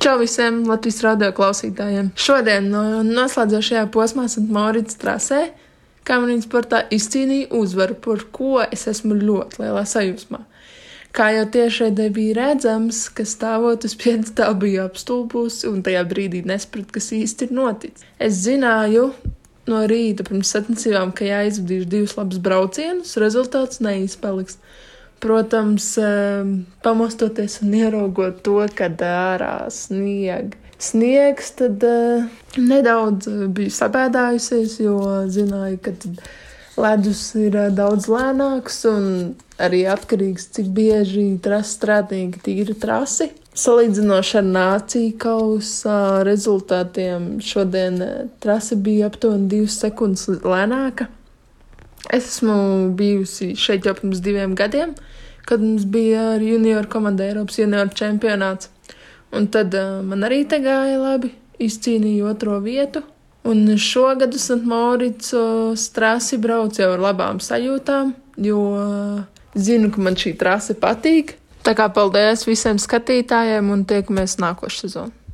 Čau visiem Latvijas radio klausītājiem! Šodien noslēdzošajā posmā St. Maurits trasē Kameriņu sportā izcīnīja uzvaru, par ko es esmu ļoti lielā sajūsmā. Kā jau tiešraidē bija redzams, ka stāvot uz piedestāla bija apstulbusi un tajā brīdī nespratu, kas īsti ir noticis. Es zināju no rīta pirms sacensībām, ka jāizvadīšu 2 labus braucienus, rezultāts neizpaliks. Protams, pamostoties un ieraugot to, kad ārā sniegs, tad nedaudz biju sabēdājusies, jo zināju, ka ledus ir daudz lēnāks un arī atkarīgs, cik bieži strātnieki tīra trasi. Salīdzinoši ar nāciju kausa rezultātiem šodien trase bija aptuveni 2 sekundes lēnāka. Es esmu bijusi šeit jau pirms 2 gadiem, kad mums bija ar junioru komandu Eiropas junioru čempionāts. Un tad man arī te gāja labi, izcīnīju 2. vietu. Un šogad uz St. Maurits trasi brauc jau ar labām sajūtām, jo zinu, ka man šī trase patīk. Tā kā paldies visiem skatītājiem un tiekamies nākošu sezonu.